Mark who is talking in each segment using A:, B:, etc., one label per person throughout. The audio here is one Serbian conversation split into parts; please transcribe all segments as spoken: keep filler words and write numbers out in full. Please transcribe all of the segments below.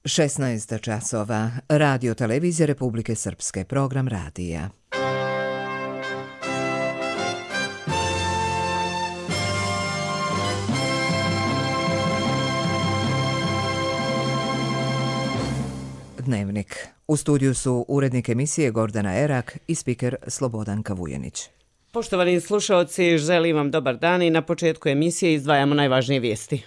A: šesnaest časova. Radio Televizija Republike Srpske. Program radija. Dnevnik. U studiju su urednik emisije Gordana Erak i spiker Slobodan Kavujanić.
B: Poštovani slušaoci, želim vam dobar dan i na početku emisije izdvajamo najvažnije vijesti.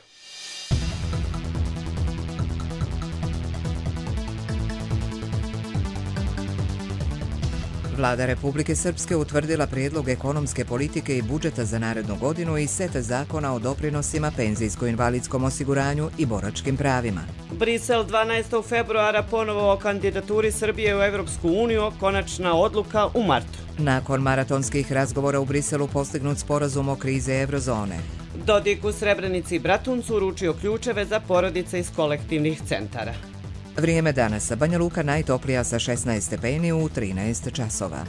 A: Vlada Republike Srpske utvrdila prijedlog ekonomske politike i budžeta za narednu godinu i set zakona o doprinosima, penzijsko-invalidskom osiguranju i boračkim pravima.
B: Brisel dvanaestog februara ponovo o kandidaturi Srbije u Evropsku uniju, konačna odluka u martu.
A: Nakon maratonskih razgovora u Briselu postignut sporazum o krize eurozone.
B: Dodik u Srebrenici i Bratuncu uručio ključeve za porodice iz kolektivnih centara.
A: Vrijeme danas. Banja Luka najtoplija sa šesnaest stepeni u trinaest časova.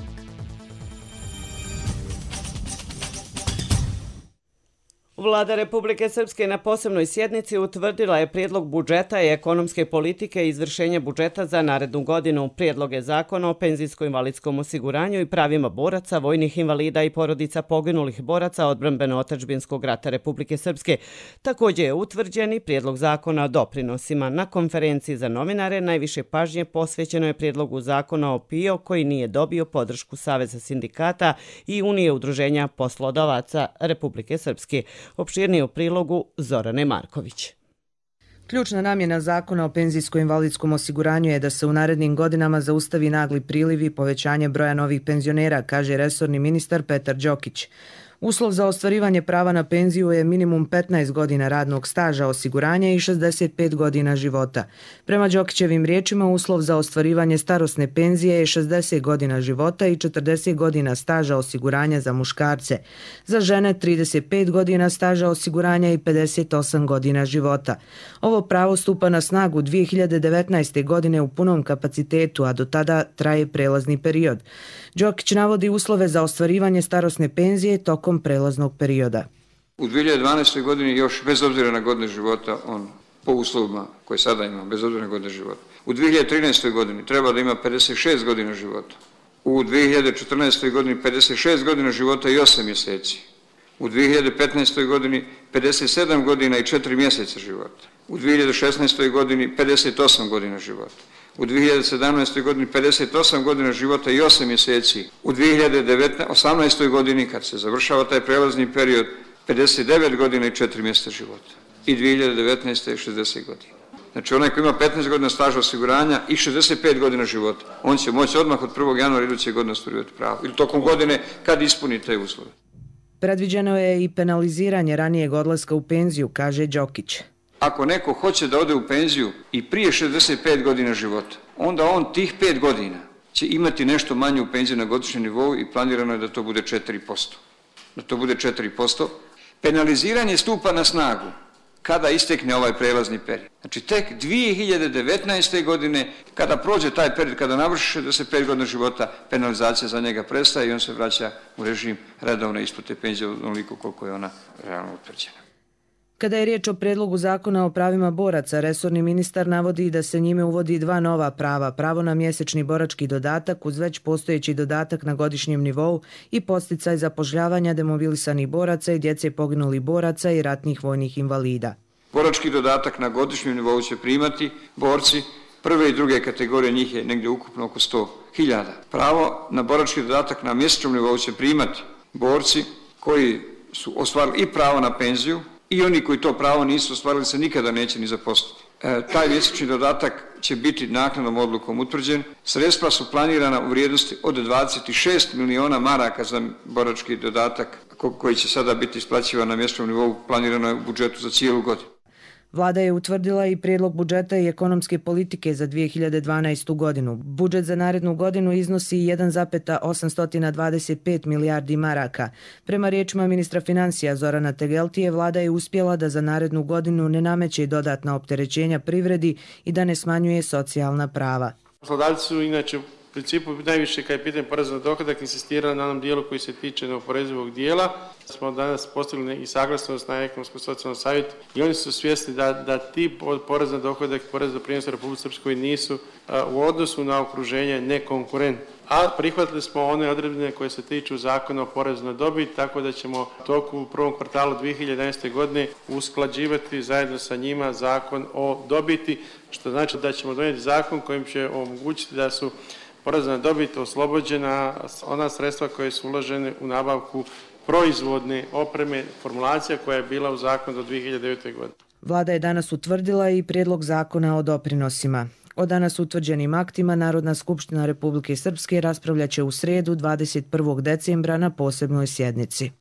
B: Vlada Republike Srpske na posebnoj sjednici utvrdila je prijedlog budžeta i ekonomske politike i izvršenja budžeta za narednu godinu, prijedloge zakona o penzijsko-invalidskom osiguranju i pravima boraca, vojnih invalida i porodica poginulih boraca odbrambeno-otadžbinskog rata Republike Srpske. Također je utvrđen i prijedlog zakona o doprinosima. Na konferenciji za novinare najviše pažnje posvećeno je prijedlogu zakona o P I O koji nije dobio podršku Saveza sindikata i Unije udruženja poslodavaca Republike Srpske. Opširnije u prilogu Zorane Marković.
C: Ključna namjena zakona o penzijsko-invalidskom osiguranju je da se u narednim godinama zaustavi nagli priliv i povećanje broja novih penzionera, kaže resorni ministar Petar Đokić. Uslov za ostvarivanje prava na penziju je minimum petnaest godina radnog staža osiguranja i šezdeset pet godina života. Prema Đokićevim riječima, uslov za ostvarivanje starosne penzije je šezdeset godina života i četrdeset godina staža osiguranja za muškarce. Za žene trideset pet godina staža osiguranja i pedeset osam godina života. Ovo pravo stupa na snagu dvije hiljade devetnaeste. godine u punom kapacitetu, a do tada traje prelazni period. Đokić navodi uslove za ostvarivanje starosne penzije tokom prelaznog perioda.
D: U dvije hiljade dvanaestoj. godini još bez obzira na godine života, on po uslovima koje sada ima, bez obzira na godine života. U dvije hiljade trinaestoj. godini treba da ima pedeset šest godina života. U dvije hiljade četrnaestoj. godini pedeset šest godina života i osam mjeseci. U dvije hiljade petnaestoj. godini pedeset sedam godina i četiri mjeseca života. U dvije hiljade šesnaestoj. godini pedeset osam godina života. U dvije hiljade sedamnaestoj. godini pedeset osam godina života i osam mjeseci. U dvije hiljade osamnaestoj. godini, kad se završava taj prelazni period, pedeset devet godina i četiri mjeseca života. I dvije hiljade devetnaeste. šezdeset godina. Znači onaj koji ima petnaest godina staža osiguranja i šezdeset pet godina života, on će moći odmah od prvog januara iduće godine ostvarivati pravo. Ili tokom godine kad ispuni te uslove.
C: Predviđeno je i penaliziranje ranijeg odlaska u penziju, kaže Đokić.
D: Ako neko hoće da ode u penziju i prije šezdeset pet godina života, onda on tih pet godina će imati nešto manje u penziju na godišnjem nivou i planirano je da to bude četiri posto. Da to bude četiri posto. Penaliziranje stupa na snagu kada istekne ovaj prelazni period. Znači tek dvije hiljade devetnaeste. godine, kada prođe taj period, kada navrši šezdeset pet godina života, penalizacija za njega prestaje i on se vraća u režim redovne isplate penzije onoliko koliko je ona realno utvrđena.
C: Kada je riječ o predlogu zakona o pravima boraca, resorni ministar navodi da se njime uvodi dva nova prava, pravo na mjesečni borački dodatak uz već postojeći dodatak na godišnjem nivou i podsticaj zapošljavanja demobilisanih boraca i djece poginulih boraca i ratnih vojnih invalida.
D: Borački dodatak na godišnjem nivou će primati borci prve i druge kategorije, njih je negdje ukupno oko sto hiljada. Pravo na borački dodatak na mjesečnom nivou će primati borci koji su ostvarili i pravo na penziju, i oni koji to pravo nisu ostvarili se nikada neće ni zaposliti. E, taj mjesečni dodatak će biti naknadnom odlukom utvrđen. Sredstva su planirana u vrijednosti od dvadeset šest miliona maraka za borački dodatak koji će sada biti isplaćivan na mjesečnom nivou, planirano je u budžetu za cijelu godinu.
C: Vlada je utvrdila i prijedlog budžeta i ekonomske politike za dvije hiljade dvanaestu. godinu. Budžet za narednu godinu iznosi jedan zarez osamsto dvadeset pet milijardi maraka. Prema riječima ministra financija Zorana Tegeltije, vlada je uspjela da za narednu godinu ne nameće dodatna opterećenja privredi i da ne smanjuje socijalna prava.
E: Poslodavci su inače principu najviše kad je pitanje poreza na dohodak insistirali na onom dijelu koji se tiče neoporezivog dijela. Smo danas postigli i saglasnost na ekonomsko-socijalnom savjetu i oni su svjesni da, da ti porez na dohodak i porez na doprinos u Republici Srpskoj nisu a, u odnosu na okruženje nekonkurentni. A prihvatili smo one odredbe koje se tiču zakona o porezu na dobit, tako da ćemo u toku u prvom kvartalu dvije hiljade jedanaeste. godine usklađivati zajedno sa njima zakon o dobiti, što znači da ćemo donijeti zakon kojim će omogućiti da su poreza na dobit oslobođena ona sredstva koje su uložene u nabavku proizvodne opreme, formulacija koja je bila u zakonu do dvije hiljade devete. godine.
C: Vlada je danas utvrdila i prijedlog zakona o doprinosima. O danas utvrđenim aktima Narodna skupština Republike Srpske raspravljaće u sredu dvadeset prvog decembra na posebnoj sjednici.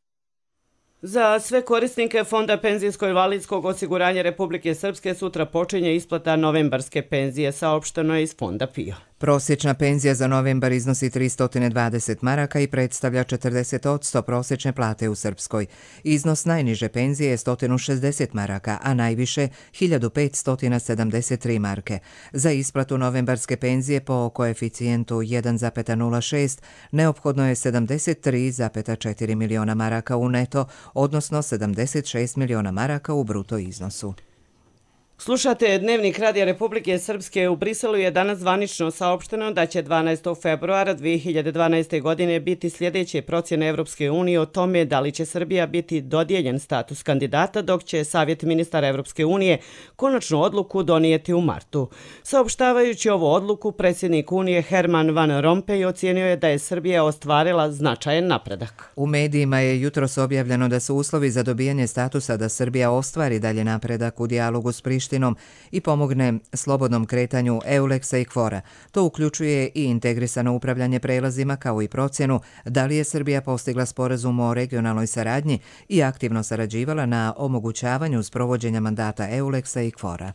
B: Za sve korisnike Fonda penzijsko-invalidskog osiguranja Republike Srpske sutra počinje isplata novembarske penzije, saopšteno je iz Fonda P I O.
A: Prosječna penzija za novembar iznosi tristo dvadeset maraka i predstavlja četrdeset posto prosječne plate u Srpskoj. Iznos najniže penzije je sto šezdeset maraka, a najviše hiljadu petsto sedamdeset tri marke. Za isplatu novembarske penzije po koeficijentu jedan zarez nula šest neophodno je sedamdeset tri zarez četiri miliona maraka u neto, odnosno sedamdeset šest miliona maraka u bruto iznosu.
B: Slušate Dnevnik Radija Republike Srpske. U Briselu je danas zvanično saopšteno da će dvanaestog februara dvije hiljade dvanaeste. godine biti sljedeće procjene Evropske unije o tome da li će Srbija biti dodijeljen status kandidata, dok će Savjet ministara Evropske unije konačnu odluku donijeti u martu. Saopštavajući ovu odluku, predsjednik Unije Herman Van Rompuy ocijenio je da je Srbija ostvarila značajan napredak.
A: U medijima je jutros objavljeno da su uslovi za dobijanje statusa da Srbija ostvari dalje napredak u dijalogu s Prištinom i pomogne slobodnom kretanju Euleksa i Kvora. To uključuje i integrisano upravljanje prelazima kao i procjenu da li je Srbija postigla sporazum o regionalnoj saradnji i aktivno sarađivala na omogućavanju sprovođenja mandata Euleksa i Kvora.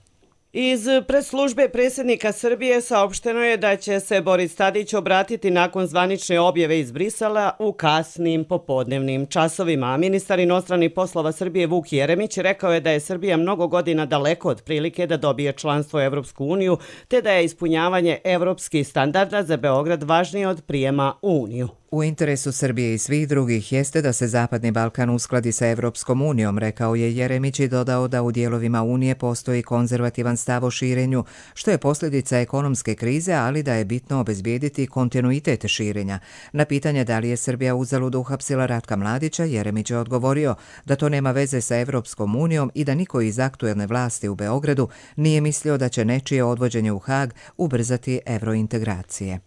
B: Iz predslužbe predsjednika Srbije saopšteno je da će se Boris Tadić obratiti nakon zvanične objave iz Brisela u kasnim popodnevnim časovima. A ministar inostranih poslova Srbije Vuk Jeremić rekao je da je Srbija mnogo godina daleko od prilike da dobije članstvo u Evropsku uniju, te da je ispunjavanje evropskih standarda za Beograd važnije od prijema u Uniju.
A: U interesu Srbije i svih drugih jeste da se Zapadni Balkan uskladi sa Evropskom unijom, rekao je Jeremić i dodao da u dijelovima Unije postoji konzervativan stav o širenju, što je posljedica ekonomske krize, ali da je bitno obezbijediti kontinuitet širenja. Na pitanje da li je Srbija uzalud uhapsila Ratka Mladića, Jeremić je odgovorio da to nema veze sa Evropskom unijom i da niko iz aktuelne vlasti u Beogradu nije mislio da će nečije odvođenje u Hag ubrzati evrointegracije.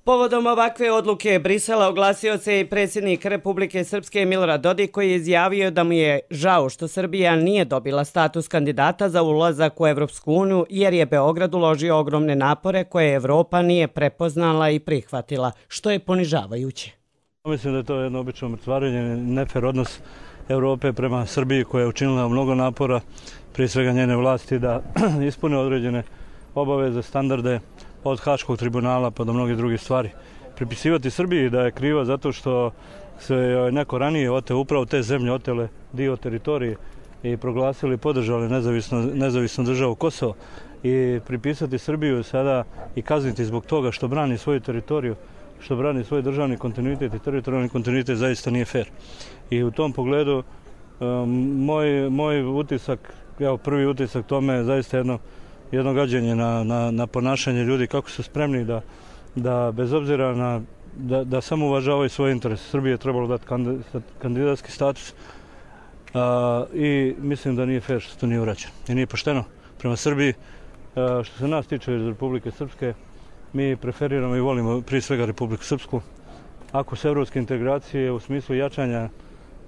B: Povodom ovakve odluke Brisela oglasio se i predsjednik Republike Srpske Milorad Dodik, koji je izjavio da mu je žao što Srbija nije dobila status kandidata za ulazak u Evropsku uniju jer je Beograd uložio ogromne napore koje Evropa nije prepoznala i prihvatila, što je ponižavajuće.
F: Mislim da je to jedno obično mrcvarenje, nefer odnos Evrope prema Srbiji koja je učinila mnogo napora, prije svega njene vlasti, da ispune određene obaveze, standarde, od Haškog tribunala pa do mnogih drugih stvari. Pripisivati Srbiji da je kriva zato što se neko ranije oteo upravo te zemlje, otele dio teritorije i proglasili i podržali nezavisno, nezavisnu državu Kosovo i pripisati Srbiju sada i kazniti zbog toga što brani svoju teritoriju, što brani svoj državni kontinuitet i teritorijalni kontinuitet zaista nije fair. I u tom pogledu moj, moj utisak, evo prvi utisak tome je zaista jedno jedno gađenje na, na, na ponašanje ljudi, kako su spremni da, da bez obzira na, da, da samo uvažavaju svoje interese. Srbije je trebalo dati kandidatski status a, i mislim da nije fair što to nije urađeno. I nije pošteno prema Srbiji. A, što se nas tiče iz Republike Srpske, mi preferiramo i volimo prije svega Republiku Srpsku. Ako su evropske integracije u smislu jačanja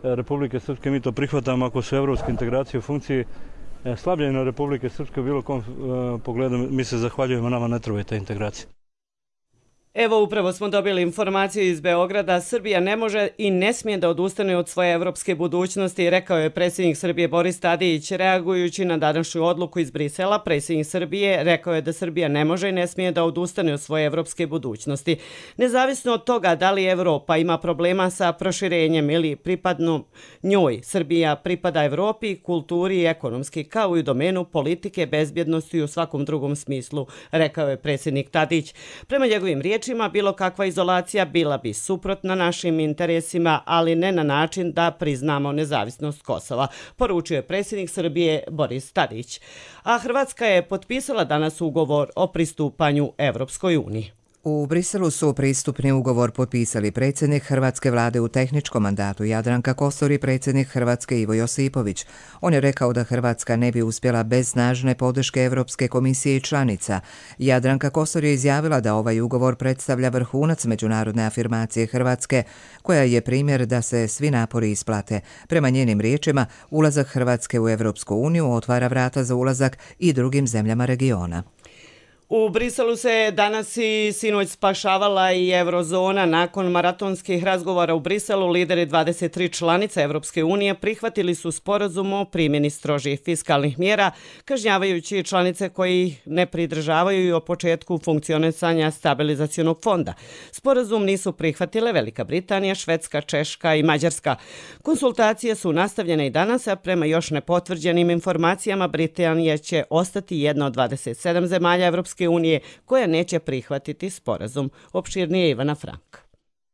F: Republike Srpske, mi to prihvatamo. Ako su evropske integracije u funkciji slabljenja Republike Srpske u bilo kom uh, pogledu, mi se zahvaljujemo, nama ne trebaju te integracije.
B: Evo, upravo smo dobili informaciju iz Beograda. Srbija ne može i ne smije da odustane od svoje evropske budućnosti, rekao je predsjednik Srbije Boris Tadić. Reagujući na današnju odluku iz Brisela, predsjednik Srbije rekao je da Srbija ne može i ne smije da odustane od svoje evropske budućnosti. Nezavisno od toga da li Evropa ima problema sa proširenjem ili pripadnu njoj, Srbija pripada Evropi, kulturi i ekonomski, kao i u domenu politike, bezbjednosti i u svakom drugom smislu, rekao je predsjednik Tadić. Prema njegovim riječima, riječima, bilo kakva izolacija bila bi suprotna našim interesima, ali ne na način da priznamo nezavisnost Kosova, poručio je predsjednik Srbije Boris Tadić. A Hrvatska je potpisala danas ugovor o pristupanju Evropskoj uniji.
A: U Briselu su pristupni ugovor potpisali predsjednik Hrvatske vlade u tehničkom mandatu Jadranka Kosor i predsjednik Hrvatske Ivo Josipović. On je rekao da Hrvatska ne bi uspjela bez snažne podrške Europske komisije i članica. Jadranka Kosor je izjavila da ovaj ugovor predstavlja vrhunac međunarodne afirmacije Hrvatske, koja je primjer da se svi napori isplate. Prema njenim riječima, ulazak Hrvatske u Europsku uniju otvara vrata za ulazak i drugim zemljama regiona.
B: U Briselu se danas i sinoć spašavala i eurozona. Nakon maratonskih razgovora u Briselu, lideri dvadeset tri članica Evropske unije prihvatili su sporazum o primjeni strožih fiskalnih mjera, kažnjavajući članice koji ne pridržavaju i o početku funkcionisanja stabilizacionog fonda. Sporazum nisu prihvatile Velika Britanija, Švedska, Češka i Mađarska. Konsultacije su nastavljene i danas, a prema još nepotvrđenim informacijama Britanija će ostati jedna od dvadeset sedam zemalja Evropske unije koja neće prihvatiti sporazum. Opširnije Ivana Frank.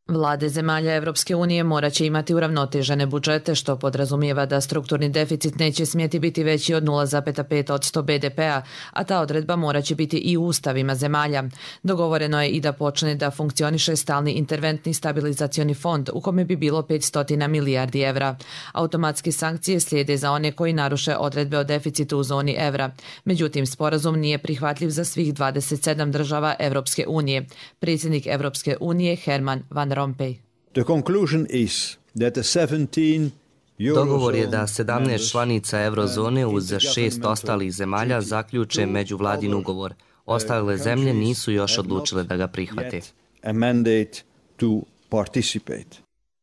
C: Vlade zemalja Evropske unije morat će imati uravnotežene budžete, što podrazumijeva da strukturni deficit neće smjeti biti veći od nula zarez pet posto be de pea, a ta odredba morat će biti i u ustavima zemalja. Dogovoreno je i da počne da funkcioniše stalni interventni stabilizacioni fond, u kome bi bilo petsto milijardi evra. Automatske sankcije slijede za one koji naruše odredbe o deficitu u zoni evra. Međutim, sporazum nije prihvatljiv za svih dvadeset sedam država Evropske unije. Predsjednik Evropske unije Herman Van Rompuy.
G: The conclusion is that the seventeen
H: Dogovor je da sedamnaest članica eurozone uz šest ostalih zemalja zaključe međuvladin ugovor. Ostale zemlje nisu još odlučile da ga prihvate.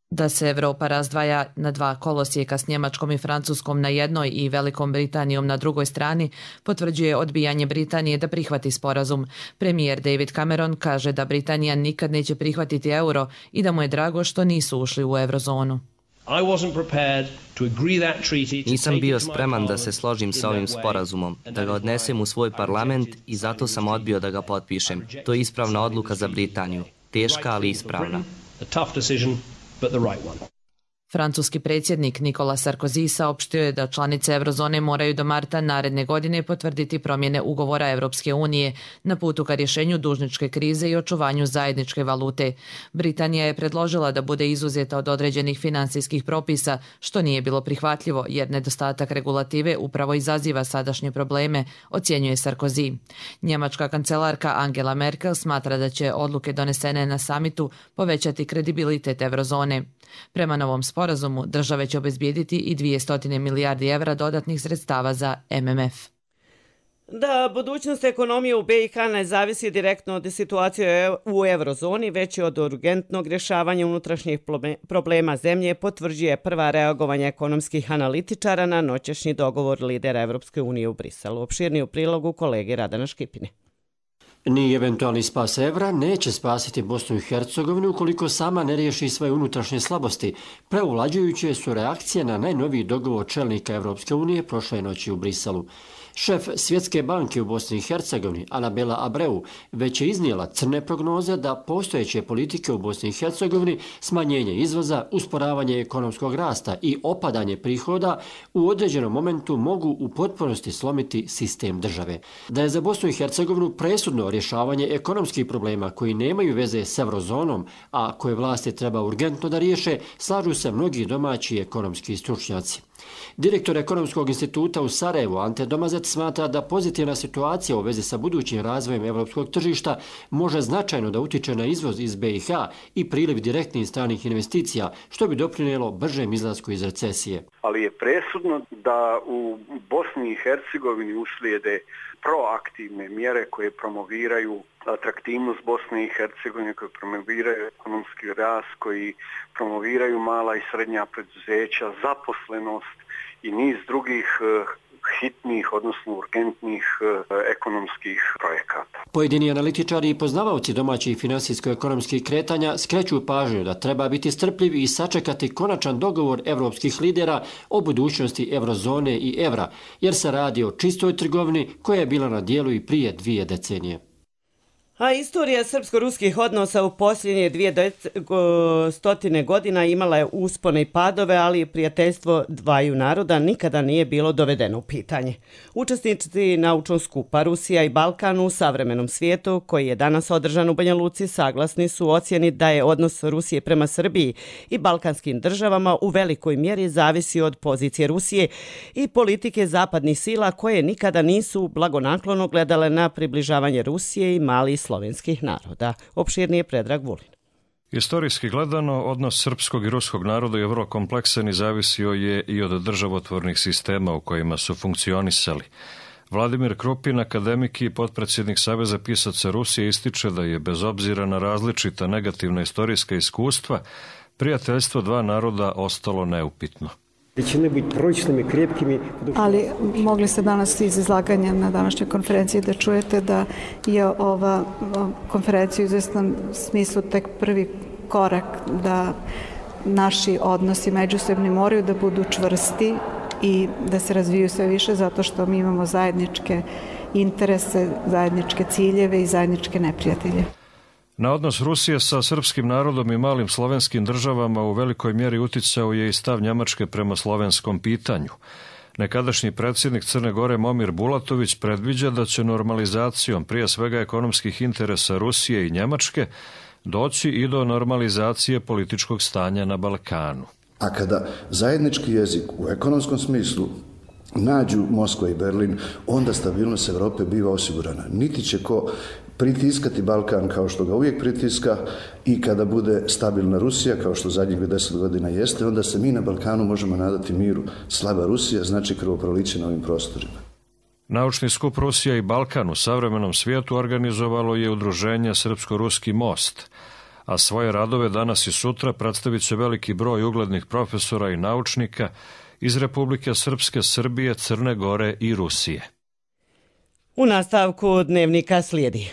C: Da se Evropa razdvaja na dva kolosijeka s Njemačkom i Francuskom na jednoj i Velikom Britanijom na drugoj strani, potvrđuje odbijanje Britanije da prihvati sporazum. Premijer David Cameron kaže da Britanija nikad neće prihvatiti euro i da mu je drago što nisu ušli u eurozonu.
H: Nisam bio spreman da se složim sa ovim sporazumom, da ga odnesem u svoj parlament i zato sam odbio da ga potpišem. To je ispravna odluka za Britaniju. Teška, ali ispravna.
C: But the right one. Francuski predsjednik Nicolas Sarkozy saopštio je da članice eurozone moraju do marta naredne godine potvrditi promjene ugovora Evropske unije na putu ka rješenju dužničke krize i očuvanju zajedničke valute. Britanija je predložila da bude izuzeta od određenih finansijskih propisa, što nije bilo prihvatljivo jer nedostatak regulative upravo izaziva sadašnje probleme, ocjenjuje Sarkozy. Njemačka kancelarka Angela Merkel smatra da će odluke donesene na samitu povećati kredibilitet eurozone. Prema novom sporazumu države će obezbijediti i dvjesto milijardi evra dodatnih sredstava za em em ef.
B: Da budućnost ekonomije u be i ha ne zavisi direktno od situacije u eurozoni, već i od urgentnog rješavanja unutrašnjih problema zemlje, potvrđuje prva reagovanja ekonomskih analitičara na noćašnji dogovor lidera Evropske unije u Briselu. Opširniji u prilogu kolege Radana Škipine.
I: Ni eventualni spas evra neće spasiti Bosnu i Hercegovinu ukoliko sama ne riješi svoje unutrašnje slabosti. Preuvlađujuće su reakcije na najnoviji dogovor čelnika Evropske unije prošle noći u Briselu. Šef Svjetske banke u Bosni i Hercegovini, Anabela Abreu, već je iznijela crne prognoze da postojeće politike u Bosni i Hercegovini, smanjenje izvoza, usporavanje ekonomskog rasta i opadanje prihoda u određenom momentu mogu u potpunosti slomiti sistem države. Da je za Bosnu i Hercegovinu presudno rješavanje ekonomskih problema koji nemaju veze s eurozonom, a koje vlasti treba urgentno da riješe, slažu se mnogi domaći ekonomski stručnjaci. Direktor Ekonomskog instituta u Sarajevu, Ante Domazet, smatra da pozitivna situacija u vezi sa budućim razvojem evropskog tržišta može značajno da utiče na izvoz iz be i ha i priliv direktnih stranih investicija, što bi doprinijelo bržem izlasku iz recesije.
J: Ali je presudno da u Bosni i Hercegovini uslijede proaktivne mjere koje promoviraju atraktivnost Bosne i Hercegovine, koje promoviraju ekonomski rast, koji promoviraju mala i srednja preduzeća, zaposlenost i niz drugih hitnih, odnosno urgentnih ekonomskih projekata.
I: Pojedini analitičari i poznavaoci domaćih finansijsko-ekonomskih kretanja skreću pažnju da treba biti strpljiv i sačekati konačan dogovor evropskih lidera o budućnosti eurozone i evra, jer se radi o čistoj trgovini koja je bila na dijelu i prije dvije decenije.
B: A istorija srpsko-ruskih odnosa u posljednje dvije stotine godina imala je uspone i padove, ali prijateljstvo dvaju naroda nikada nije bilo dovedeno u pitanje. Učesnici naučnog skupa Rusija i Balkan u savremenom svijetu, koji je danas održan u Banja Luci, saglasni su u ocjeni da je odnos Rusije prema Srbiji i balkanskim državama u velikoj mjeri zavisi od pozicije Rusije i politike zapadnih sila koje nikada nisu blagonaklono gledale na približavanje Rusije i malih slovenskih naroda. Opširnije Predrag Vulin.
K: Istorijski gledano, odnos srpskog i ruskog naroda je vrlo kompleksan i zavisio je i od državotvornih sistema u kojima su funkcionisali. Vladimir Krupin, akademik i potpredsjednik Saveza pisaca Rusije, ističe da je bez obzira na različita negativna istorijska iskustva, prijateljstvo dva naroda ostalo neupitno.
L: Ali mogli ste danas iz izlaganja na današnjoj konferenciji da čujete da je ova konferencija u izvesnom smislu tek prvi korak da naši odnosi međusobni moraju da budu čvrsti i da se razviju sve više zato što mi imamo zajedničke interese, zajedničke ciljeve i zajedničke neprijatelje.
K: Na odnos Rusije sa srpskim narodom i malim slovenskim državama u velikoj mjeri uticao je i stav Njemačke prema slovenskom pitanju. Nekadašnji predsjednik Crne Gore Momir Bulatović predviđa da će normalizacijom prije svega ekonomskih interesa Rusije i Njemačke doći i do normalizacije političkog stanja na Balkanu.
M: A kada zajednički jezik u ekonomskom smislu nađu Moskva i Berlin, onda stabilnost Europe biva osigurana. Niti će ko pritiskati Balkan kao što ga uvijek pritiska i kada bude stabilna Rusija, kao što zadnjih deset godina jeste, onda se mi na Balkanu možemo nadati miru. Slaba Rusija znači krvoproliće na ovim prostorima.
K: Naučni skup Rusija i Balkan u savremenom svijetu organizovalo je udruženje Srpsko-ruski most, a svoje radove danas i sutra predstavit će veliki broj uglednih profesora i naučnika iz Republike Srpske, Srbije, Crne Gore i Rusije.
B: U nastavku dnevnika slijedi.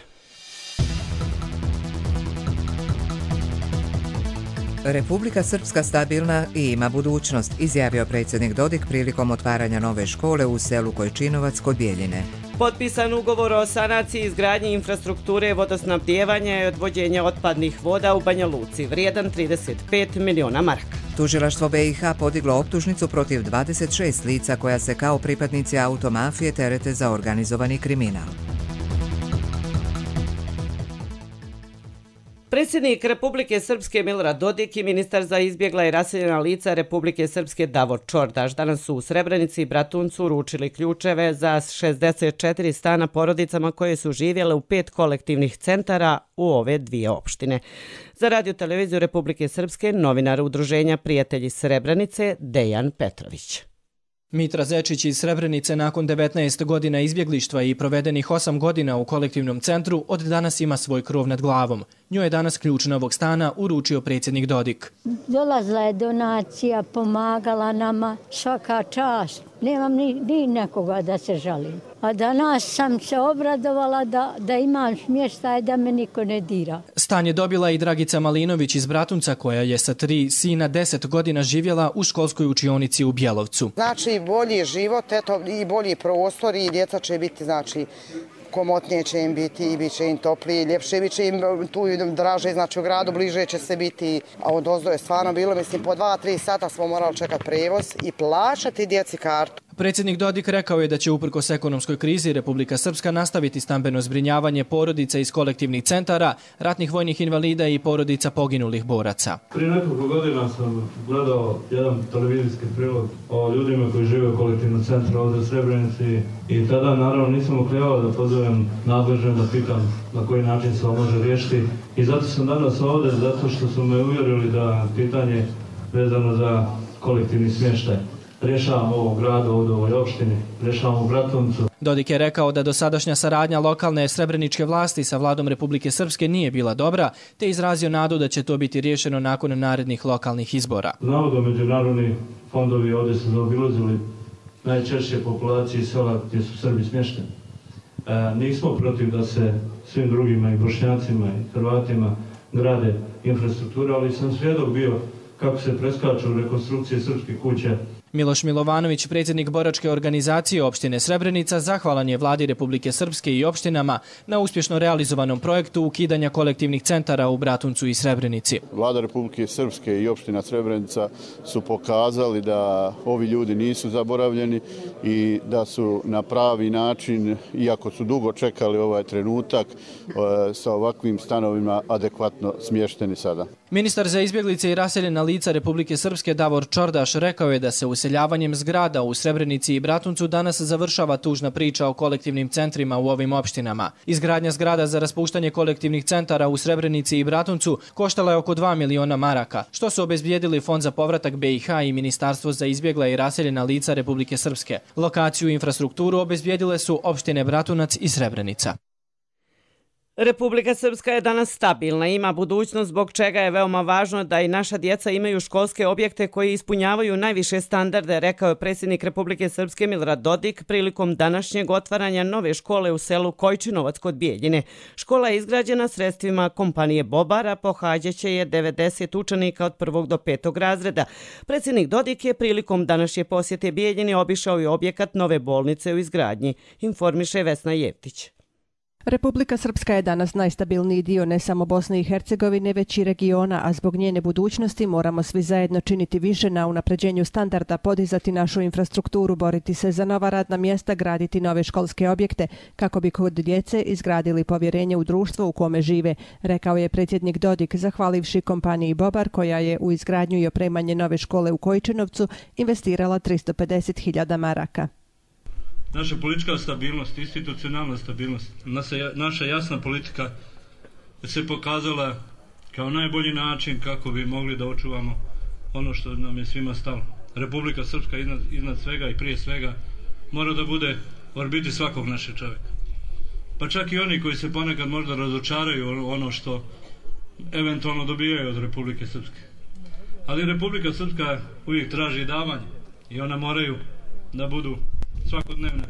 A: Republika Srpska stabilna i ima budućnost, izjavio predsjednik Dodik prilikom otvaranja nove škole u selu Kojčinovac kod Bijeljine.
B: Potpisan ugovor o sanaciji i izgradnji infrastrukture vodosnabdijevanja i odvođenja otpadnih voda u Banja Luci, vrijedan trideset pet miliona maraka.
A: Tužilaštvo B i H podiglo optužnicu protiv dvadeset šest lica koja se kao pripadnici automafije terete za organizovani kriminal.
B: Predsjednik Republike Srpske Milorad Dodik i ministar za izbjegla i raseljena lica Republike Srpske Davor Čordaš danas su u Srebrenici i Bratuncu uručili ključeve za šezdeset četiri stana porodicama koje su živjele u pet kolektivnih centara u ove dvije opštine. Za Radio televiziju Republike Srpske novinar udruženja Prijatelji Srebrenice Dejan Petrović.
N: Mitra Zečić iz Srebrenice nakon devetnaest godina izbjeglištva i provedenih osam godina u kolektivnom centru od danas ima svoj krov nad glavom. Njoj je danas ključ novog stana uručio predsjednik Dodik.
O: Dolazila je donacija, pomagala nama, svaka čast. Nemam ni, ni nekoga da se žalim. A danas sam se obradovala da, da imam smještaj, da me niko ne dira.
N: Stan je dobila i Dragica Malinović iz Bratunca koja je sa tri sina deset godina živjela u školskoj učionici u Bjelovcu.
P: Znači bolji život, eto, i bolji prostor i djeca će biti, znači, komotnije će im biti i bit će im toplije, ljepše, bit će im tu draže, znači u gradu bliže će se biti, a od ozdo je stvarno bilo, mislim, po dva, tri sata smo morali čekati prevoz i plaćati djeci kartu.
N: Predsjednik Dodik rekao je da će uprkos ekonomskoj krizi Republika Srpska nastaviti stambeno zbrinjavanje porodica iz kolektivnih centara, ratnih vojnih invalida i porodica poginulih boraca.
F: Prije nekoliko godina sam gledao jedan televizijski prilog o ljudima koji žive u kolektivnom centru ovdje u Srebrenici i tada naravno nisam oklijavao da pozovem nadležne da pitam na koji način se ovo može riješiti i zato sam danas ovdje, zato što su me uvjerili da pitanje vezano za kolektivni smještaj rješavamo ovo u gradu, ovdje u ovoj opštini, rješavamo u Bratuncu.
N: Dodik je rekao da dosadašnja saradnja lokalne srebreničke vlasti sa vladom Republike Srpske nije bila dobra, te izrazio nadu da će to biti riješeno nakon narednih lokalnih izbora.
F: Znamo da međunarodni fondovi ovdje su zaobilazili najčešće populacije sela gdje su Srbi smješteni. E, nismo protiv da se svim drugima i Bošnjacima i Hrvatima grade infrastruktura, ali sam svjedok bio kako se preskaču rekonstrukcije srpskih kuća.
N: Miloš Milovanović, predsjednik boračke organizacije opštine Srebrenica, zahvalan je vladi Republike Srpske i opštinama na uspješno realizovanom projektu ukidanja kolektivnih centara u Bratuncu i Srebrenici.
Q: Vlada Republike Srpske i opština Srebrenica su pokazali da ovi ljudi nisu zaboravljeni i da su na pravi način, iako su dugo čekali ovaj trenutak, sa ovakvim stanovima adekvatno smješteni sada.
N: Ministar za izbjeglice i raseljena lica Republike Srpske Davor Čordaš rekao je da se useljavanjem zgrada u Srebrenici i Bratuncu danas završava tužna priča o kolektivnim centrima u ovim opštinama. Izgradnja zgrada za raspuštanje kolektivnih centara u Srebrenici i Bratuncu koštala je oko dva miliona maraka, što su obezbijedili Fond za povratak B i H i Ministarstvo za izbjegla i raseljena lica Republike Srpske. Lokaciju i infrastrukturu obezbijedile su opštine Bratunac i Srebrenica.
B: Republika Srpska je danas stabilna, ima budućnost zbog čega je veoma važno da i naša djeca imaju školske objekte koji ispunjavaju najviše standarde, rekao je predsjednik Republike Srpske Milorad Dodik prilikom današnjeg otvaranja nove škole u selu Kojčinovac kod Bijeljine. Škola je izgrađena sredstvima kompanije Bobara, pohađaće je devedeset učenika od prvog do petog razreda. Predsjednik Dodik je prilikom današnje posjete Bijeljini obišao i objekat nove bolnice u izgradnji, informiše Vesna Jevtić.
R: Republika Srpska je danas najstabilniji dio ne samo Bosne i Hercegovine, već i regiona, a zbog njene budućnosti moramo svi zajedno činiti više na unapređenju standarda, podizati našu infrastrukturu, boriti se za nova radna mjesta, graditi nove školske objekte, kako bi kod djece izgradili povjerenje u društvo u kome žive, rekao je predsjednik Dodik, zahvalivši kompaniji Bobar, koja je u izgradnju i opremanje nove škole u Kojčinovcu investirala tristo pedeset hiljada maraka.
F: Naša politička stabilnost, institucionalna stabilnost, naša jasna politika se pokazala kao najbolji način kako bi mogli da očuvamo ono što nam je svima stalo. Republika Srpska iznad, iznad svega i prije svega mora da bude u orbiti svakog našeg čovjeka. Pa čak i oni koji se ponekad možda razočaraju ono što eventualno dobijaju od Republike Srpske. Ali Republika Srpska uvijek traži davanje i ona moraju da budu svakodnevne,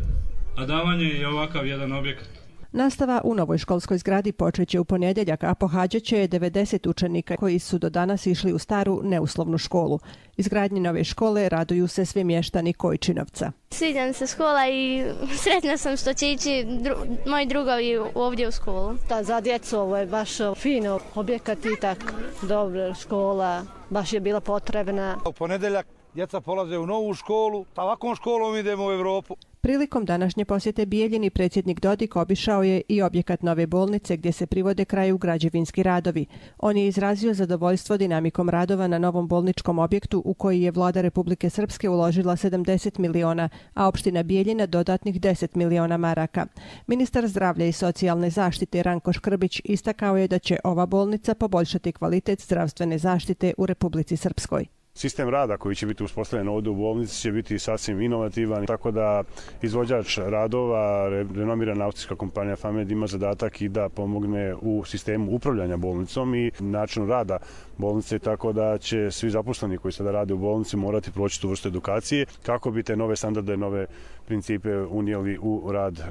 F: a davanje je ovakav jedan objekat.
R: Nastava u novoj školskoj zgradi počeće u ponedjeljak, a pohađaće je devedeset učenika koji su do danas išli u staru neuslovnu školu. Izgradnji nove škole raduju se svi mještani Kojčinovca.
S: Sviđa mi se škola i sretna sam što će ići dru, moji drugovi ovdje u školu.
T: Da, za djecu ovo je baš fino, objekat i tak, dobra škola, baš je bila potrebna.
U: U ponedjeljak djeca polaze u novu školu, a ovakvom školom idemo u Evropu.
R: Prilikom današnje posjete Bijeljini predsjednik Dodik obišao je i objekat nove bolnice gdje se privode kraju građevinski radovi. On je izrazio zadovoljstvo dinamikom radova na novom bolničkom objektu u koji je vlada Republike Srpske uložila sedamdeset miliona, a opština Bijeljina dodatnih deset miliona maraka. Ministar zdravlja i socijalne zaštite Ranko Škrbić istakao je da će ova bolnica poboljšati kvalitet zdravstvene zaštite u Republici Srpskoj.
V: Sistem rada koji će biti uspostavljen ovdje u bolnici će biti sasvim inovativan, tako da izvođač radova, renomirana austrijska kompanija Famed ima zadatak i da pomogne u sistemu upravljanja bolnicom i načinu rada bolnice, tako da će svi zaposleni koji sada rade u bolnici morati proći tu vrstu edukacije kako bi te nove standarde, nove principe unijeli u rad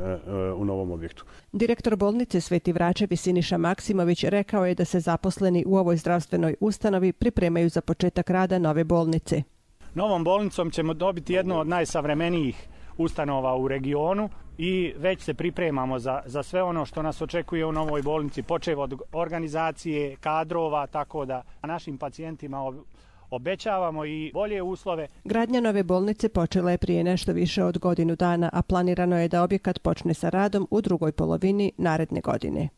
V: u novom objektu.
R: Direktor bolnice Sveti Vračevi Siniša Maksimović rekao je da se zaposleni u ovoj zdravstvenoj ustanovi pripremaju za početak rada nove bolnice.
W: Novom bolnicom ćemo dobiti jednu od najsavremenijih ustanova u regionu i već se pripremamo za, za sve ono što nas očekuje u novoj bolnici, počev od organizacije, kadrova, tako da našim pacijentima obećavamo i bolje uslove.
R: Gradnja nove bolnice počela je prije nešto više od godinu dana, a planirano je da objekat počne sa radom u drugoj polovini naredne godine.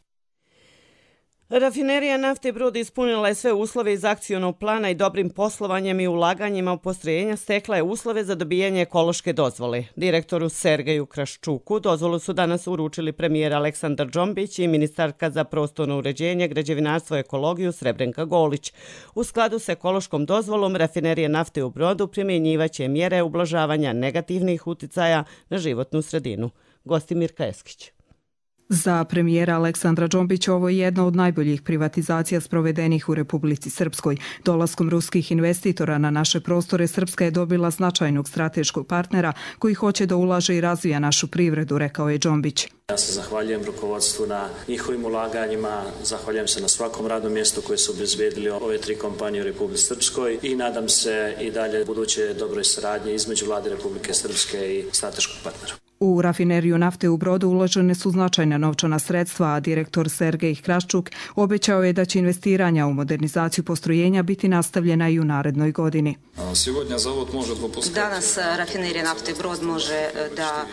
B: Rafinerija nafte Brod ispunila je sve uslove iz akcionog plana i dobrim poslovanjem i ulaganjima u postrojenja stekla je uslove za dobijanje ekološke dozvole. Direktoru Sergeju Kraščuku dozvolu su danas uručili premijer Aleksandar Džombić i ministarka za prostorno uređenje, građevinarstvo i ekologiju Srebrenka Golić. U skladu s ekološkom dozvolom rafinerija nafte u Brodu primjenjivaće mjere ublažavanja negativnih uticaja na životnu sredinu. Gosti Mirka Eskić.
X: Za premijera Aleksandra Džombića ovo je jedna od najboljih privatizacija sprovedenih u Republici Srpskoj. Dolaskom ruskih investitora na naše prostore Srpska je dobila značajnog strateškog partnera koji hoće da ulaže i razvija našu privredu, rekao je Džombić.
D: Ja se zahvaljujem rukovodstvu na njihovim ulaganjima, zahvaljujem se na svakom radnom mjestu koje su obezbedili ove tri kompanije u Republike Srpskoj i nadam se i dalje buduće dobroj saradnje između Vlade Republike Srpske i strateškog partnera.
X: U rafineriju nafte u Brodu uložene su značajna novčana sredstva, a direktor Sergej Kraščuk obećao je da će investiranja u modernizaciju postrojenja biti nastavljena i u narednoj godini.
E: Danas rafinerija nafte Brod može da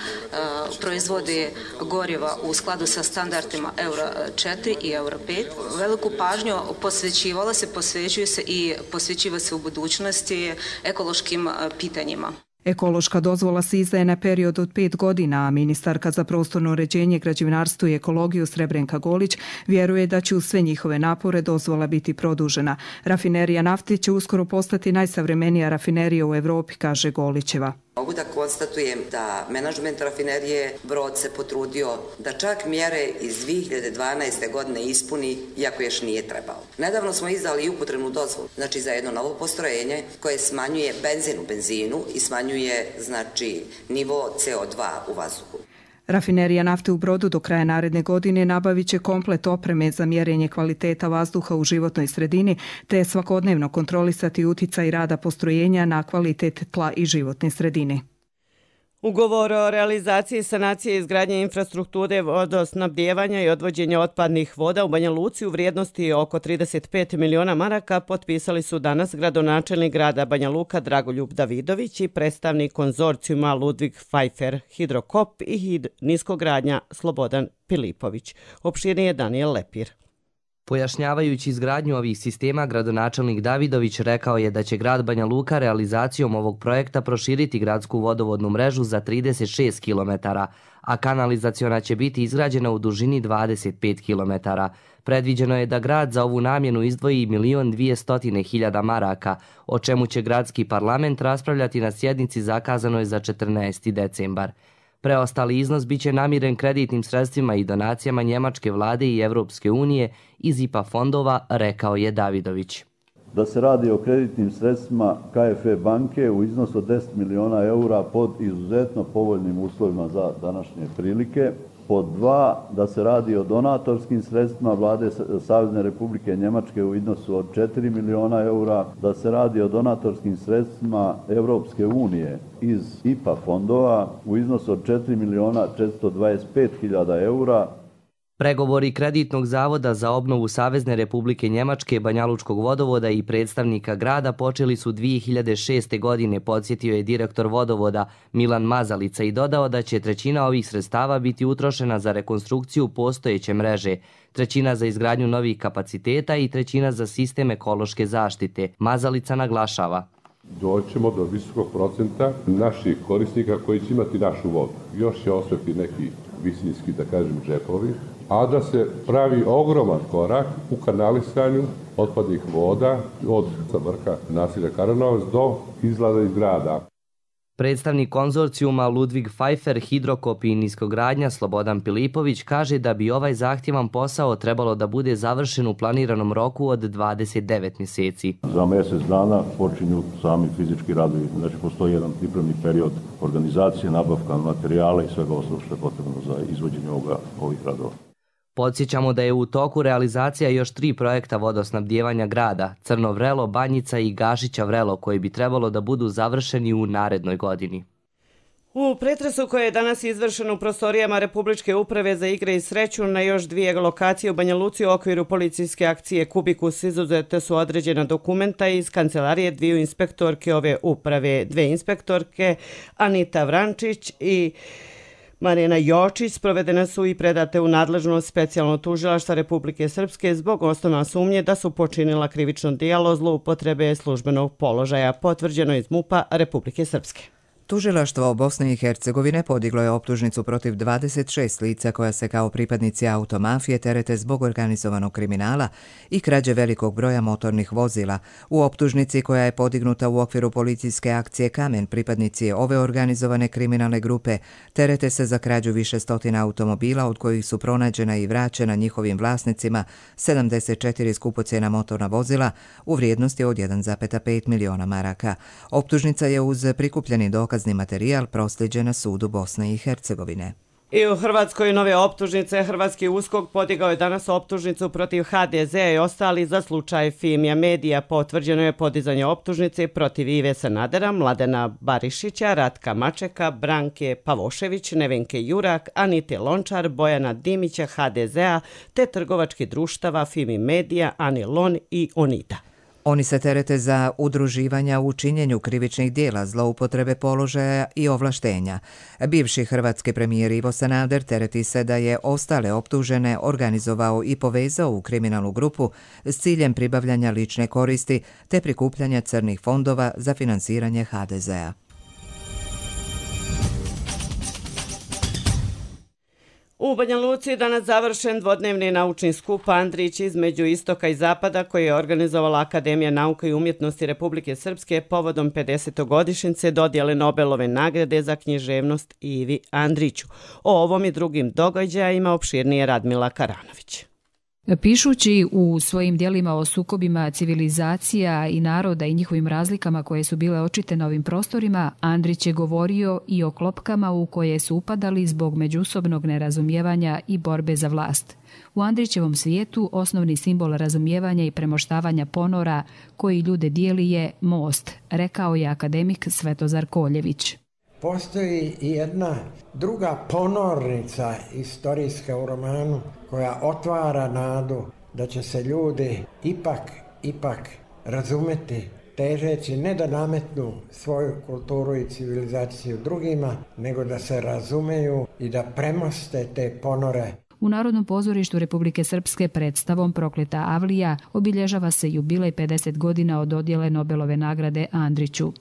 E: proizvodi goriva u skladu sa standardima Euro četiri i Euro pet. Veliku pažnju posvećivala se, posvećuje se i posvećiva se u budućnosti ekološkim pitanjima.
X: Ekološka dozvola se izdaje na period od pet godina, a ministarka za prostorno uređenje, građevinarstvo i ekologiju Srebrenka Golić vjeruje da će uz sve njihove napore dozvola biti produžena. Rafinerija nafte će uskoro postati najsavremenija rafinerija u Evropi, kaže Golićeva.
G: Mogu da konstatujem da menadžment rafinerije Brod se potrudio da čak mjere iz dvije hiljade dvanaeste. godine ispuni, iako još nije trebao. Nedavno smo izdali i upotrebnu dozvolu, znači za jedno novo postrojenje koje smanjuje benzin u benzinu i smanjuje znači nivo C O dva u vazduhu.
X: Rafinerija nafte u Brodu do kraja naredne godine nabavit će komplet opreme za mjerenje kvaliteta vazduha u životnoj sredini, te svakodnevno kontrolisati uticaj rada postrojenja na kvalitet tla i životne sredine.
B: Ugovor o realizaciji sanacije i izgradnje infrastrukture vodosnabdijevanja i odvođenja otpadnih voda u Banja Luci u vrijednosti oko trideset pet miliona maraka potpisali su danas gradonačelnik grada Banja Luka Dragoljub Davidović i predstavnik konzorcijuma Ludvig Pfeiffer Hidrokop i niskogradnja Slobodan Pilipović. Opširnije Daniel Lepir.
H: Pojašnjavajući izgradnju ovih sistema, gradonačelnik Davidović rekao je da će grad Banja Luka realizacijom ovog projekta proširiti gradsku vodovodnu mrežu za trideset šest kilometara, a kanalizaciona će biti izgrađena u dužini dvadeset pet kilometara. Predviđeno je da grad za ovu namjenu izdvoji milion dvjesto hiljada maraka, o čemu će gradski parlament raspravljati na sjednici zakazanoj za četrnaesti decembar. Preostali iznos biće namiren kreditnim sredstvima i donacijama Njemačke vlade i Evropske unije iz I P A fondova, rekao je Davidović.
Y: Da se radi o kreditnim sredstvima K F E banke u iznosu od deset miliona eura pod izuzetno povoljnim uslovima za današnje prilike. Pod dva, da se radi o donatorskim sredstvima vlade Savezne Republike Njemačke u iznosu od četiri miliona eura, da se radi o donatorskim sredstvima Evropske unije iz I P A fondova u iznosu od četiri miliona četiristo dvadeset pet hiljada eura.
H: Pregovori Kreditnog zavoda za obnovu Savezne Republike Njemačke, Banjalučkog vodovoda i predstavnika grada počeli su dvije hiljade šeste. godine, podsjetio je direktor vodovoda Milan Mazalica i dodao da će trećina ovih sredstava biti utrošena za rekonstrukciju postojeće mreže, trećina za izgradnju novih kapaciteta i trećina za sistem ekološke zaštite. Mazalica naglašava.
Z: Doćemo do visokog procenta naših korisnika koji će imati našu vodu. Još će ostati neki visinski, da kažem, džepovi, a da se pravi ogroman korak u kanalisanju otpadnih voda od vrha naselja Karanovac do izlaza iz grada.
H: Predstavnik konzorcijuma Ludvig Pfeiffer Hidrokop i niskogradnja Slobodan Pilipović kaže da bi ovaj zahtjevan posao trebalo da bude završen u planiranom roku od dvadeset devet mjeseci.
Y: Za mjesec dana počinju sami fizički radovi, znači postoji jedan pripremni period organizacije, nabavka materijala i svega ostalog što je potrebno za izvođenje ovoga, ovih radova.
H: Podsjećamo da je u toku realizacija još tri projekta vodosnabdijevanja grada, Crno Vrelo, Banjica i Gašića Vrelo, koji bi trebalo da budu završeni u narednoj godini.
B: U pretresu koje je danas izvršen u prostorijama Republičke uprave za igre i sreću na još dvije lokacije u Banja Luci u okviru policijske akcije Kubikus izuzete su određena dokumenta iz kancelarije dviju inspektorke ove uprave. Dve inspektorke, Anita Vrančić i Marijana Jočić, sprovedene su i predate u nadležnost specijalnog tužilaštva Republike Srpske zbog osnovne sumnje da su počinila krivično djelo zloupotrebe službenog položaja, potvrđeno iz MUP-a Republike Srpske.
A: Tužilaštvo Bosne i Hercegovine podiglo je optužnicu protiv dvadeset šest lica koja se kao pripadnici automafije terete zbog organizovanog kriminala i krađe velikog broja motornih vozila. U optužnici koja je podignuta u okviru policijske akcije Kamen, pripadnici ove organizovane kriminalne grupe terete se za krađu više stotina automobila, od kojih su pronađena i vraćena njihovim vlasnicima sedamdeset četiri skupocjena motorna vozila u vrijednosti od jedan zarez pet miliona maraka. Optužnica je uz prikupljeni dokazni materijal prosljeđena sudu Bosne i Hercegovine.
B: I u Hrvatskoj nove optužnice. Hrvatski USKOK podigao je danas optužnicu protiv ha de zea i ostali za slučaj Fimija Medija. Potvrđeno je podizanje optužnice protiv Ive Sanadera, Mladena Barišića, Ratka Mačeka, Branke Pavošević, Nevenke Jurak, Anite Lončar, Bojana Dimića ha de zea te trgovačkih društava Fimi Medija, Anilon i Onida.
A: Oni se terete za udruživanja u činjenju krivičnih dijela, zloupotrebe položaja i ovlaštenja. Bivši hrvatski premijer Ivo Sanader tereti se da je ostale optužene organizovao i povezao u kriminalnu grupu s ciljem pribavljanja lične koristi te prikupljanja crnih fondova za finansiranje ha de zea.
B: U Banja Luci danas završen dvodnevni naučni skup Andrić između istoka i zapada koji je organizovala Akademija nauka i umjetnosti Republike Srpske povodom pedesetogodišnjice dodjele Nobelove nagrade za književnost Ivi Andriću. O ovom i drugim događajima opširnije Radmila Karanović.
C: Pišući u svojim dijelima o sukobima civilizacija i naroda i njihovim razlikama koje su bile očite na ovim prostorima, Andrić je govorio i o klopkama u koje su upadali zbog međusobnog nerazumijevanja i borbe za vlast. U Andrićevom svijetu osnovni simbol razumijevanja i premoštavanja ponora koji ljude dijeli je most, rekao je akademik Svetozar Koljević.
I: Postoji i jedna druga ponornica istorijska u romanu koja otvara nadu da će se ljudi ipak, ipak razumeti težeći ne da nametnu svoju kulturu i civilizaciju drugima, nego da se razumeju i da premoste te ponore.
C: U Narodnom pozorištu Republike Srpske predstavom Prokleta Avlija obilježava se jubilej pedeset godina od dodjele Nobelove nagrade Andriću.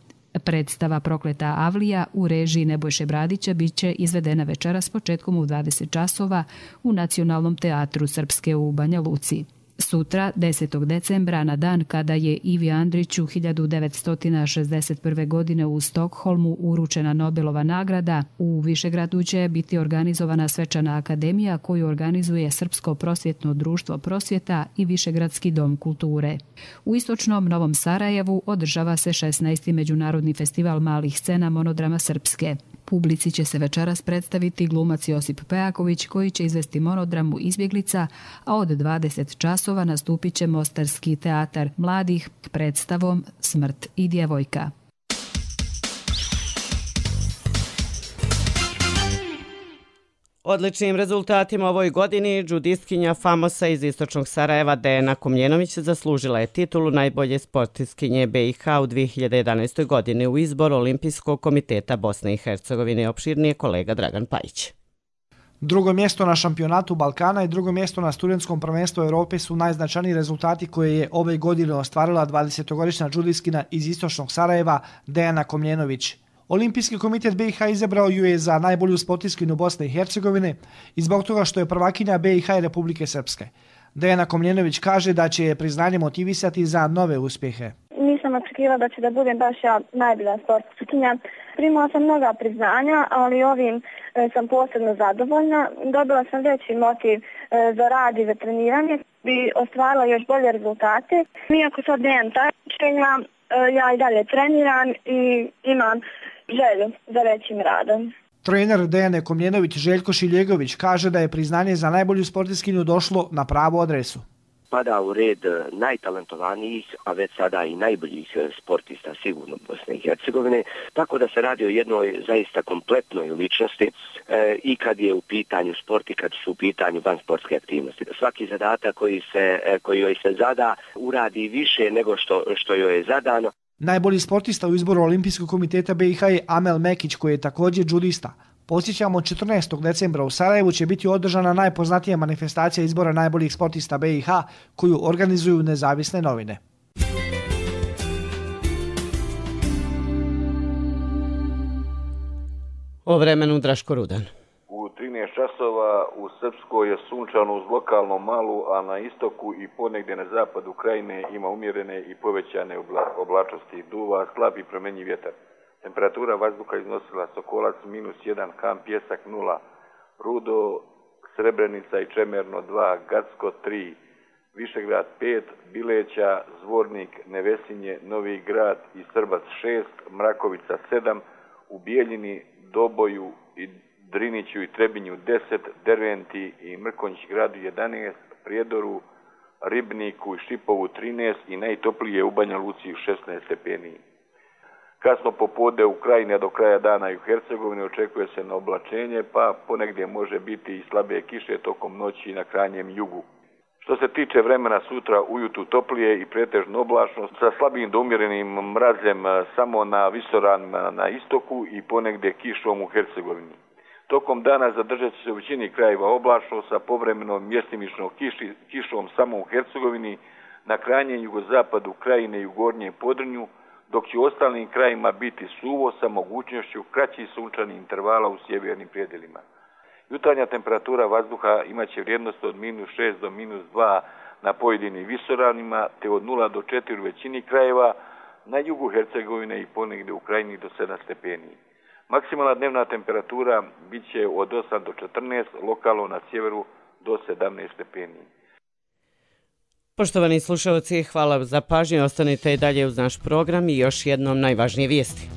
C: Predstava Prokleta Avlija u režiji Nebojše Bradića biće izvedena večeras početkom u dvadeset časova u Nacionalnom teatru Srpske u Banja Luci. Sutra, desetog decembra, na dan kada je Ivi Andriću hiljadu devetsto šezdeset prve. godine u Stokholmu uručena Nobelova nagrada, u Višegradu će biti organizovana svečana akademija koju organizuje Srpsko prosvjetno društvo prosvjeta i Višegradski dom kulture. U istočnom Novom Sarajevu održava se šesnaesti. Međunarodni festival malih scena Monodrama Srpske. Publici će se večeras predstaviti glumac Josip Pejaković koji će izvesti monodramu Izbjeglica, a od dvadeset časova nastupit će Mostarski teatar mladih predstavom Smrt i djevojka.
B: Odličnim rezultatima ovoj godini džudistkinja Famosa iz istočnog Sarajeva Dejana Komljenović zaslužila je titulu najbolje sportistkinje be i ha u dvije hiljade jedanaestoj. godini u izboru Olimpijskog komiteta Bosne i Hercegovine. Opširnije kolega Dragan Pajić.
J: Drugo mjesto na šampionatu Balkana i drugo mjesto na studentskom prvenstvu Europe su najznačajniji rezultati koje je ove godine ostvarila dvadesetogodišnja džudistkinja iz istočnog Sarajeva Dejana Komljenović. Olimpijski komitet be i ha izabrao ju je za najbolju sportistkinju Bosne i Hercegovine i zbog toga što je prvakinja be i ha i Republike Srpske. Dejana Komljenović kaže da će je priznanje motivisati za nove uspjehe.
K: Nisam očekivala da će da budem baš ja najbolja sportistkinja. Primala sam mnoga priznanja, ali ovim e, sam posebno zadovoljna. Dobila sam veći motiv e, za rad i za treniranje. Bi ostvarila još bolje rezultate. Iako sad nemam takmičenja, e, ja i dalje treniram i imam želju za većim radom.
J: Trener Dejane Komljenović Željko Šiljegović kaže da je priznanje za najbolju sportistkinju došlo na pravu adresu.
L: Pada u red najtalentovanijih, a već sada i najboljih sportista sigurno Bosne i Hercegovine, tako da se radi o jednoj zaista kompletnoj ličnosti e, i kad je u pitanju sport i kad su u pitanju vansportske aktivnosti. Da svaki zadatak koji, se, koji joj se zada uradi više nego što, što joj je zadano.
J: Najbolji sportista u izboru Olimpijskog komiteta be i ha je Amel Mekić koji je također džudista. Podsjećamo, četrnaestog decembra u Sarajevu će biti održana najpoznatija manifestacija izbora najboljih sportista be i ha koju organizuju nezavisne novine.
B: O vremenu Draško Rudan.
M: U trinaest časova u Srpskoj je sunčano uz lokalno malu, a na istoku i ponegdje na zapadu krajine ima umjerene i povećane oblačnosti. Duva slab i promenjiv vjetar. Temperatura vazduha iznosila Sokolac minus jedan, Kamp Pjesak nula, Rudo, Srebrenica i Čemerno dva, Gacko tri, Višegrad pet, Bileća, Zvornik, Nevesinje, Novi Grad i Srbac šest, Mrakovica sedam, u Bijeljini, Doboju i Driniću i Trebinju deset, Derventi i Mrkonjić gradu jedanaest, Prijedoru, Ribniku i Šipovu trinaest i najtoplije u Banja Luci šesnaest stepeni. Kasno popodne u Krajini, a do kraja dana i u Hercegovini očekuje se na oblačenje, pa ponegdje može biti i slabe kiše tokom noći na krajnjem jugu. Što se tiče vremena, sutra ujutru toplije i pretežno oblačno sa slabim do umjerenim mrazem samo na visoranima na istoku i ponegdje kišom u Hercegovini. Tokom dana zadržat će se u većini krajeva oblačno sa povremenom mjestimičnom kiši, kišom samo u Hercegovini, na krajnjem jugozapadu Krajine i u Gornjem Podrinju, dok će u ostalim krajima biti suvo sa mogućnošću kraćih sunčanih intervala u sjevernim predjelima. Jutarnja temperatura vazduha imaće vrijednost od minus šest do minus dva na pojedinim visoravnima, te od nula do četiri u većini krajeva, na jugu Hercegovine i ponegdje u Krajini do sedam stepeni. Maksimalna dnevna temperatura bit će od osam do četrnaest, lokalno na sjeveru do sedamnaest stepeni.
B: Poštovani slušalci, hvala za pažnju. Ostanite i dalje uz naš program i još jednom najvažnije vijesti.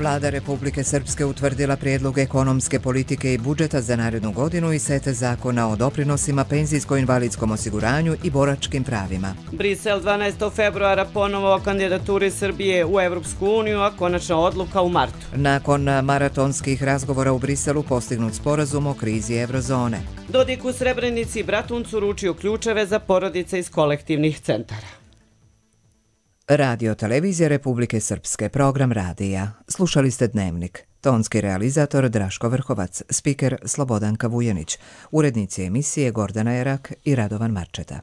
A: Vlada Republike Srpske utvrdila prijedlog ekonomske politike i budžeta za narednu godinu i set zakona o doprinosima, penzijsko-invalidskom osiguranju i boračkim pravima.
B: Brisel dvanaestog februara ponovo o kandidaturi Srbije u Evropsku uniju, a konačna odluka u martu.
A: Nakon maratonskih razgovora u Briselu postignut sporazum o krizi eurozone.
B: Dodik u Srebrenici i Bratuncu ručio ključeve za porodice iz kolektivnih centara.
A: Radio Televizija Republike Srpske, program radija. Slušali ste Dnevnik. Tonski realizator Draško Vrhovac, spiker Slobodanka Vujanić, urednici emisije Gordana Erak i Radovan Marčeta.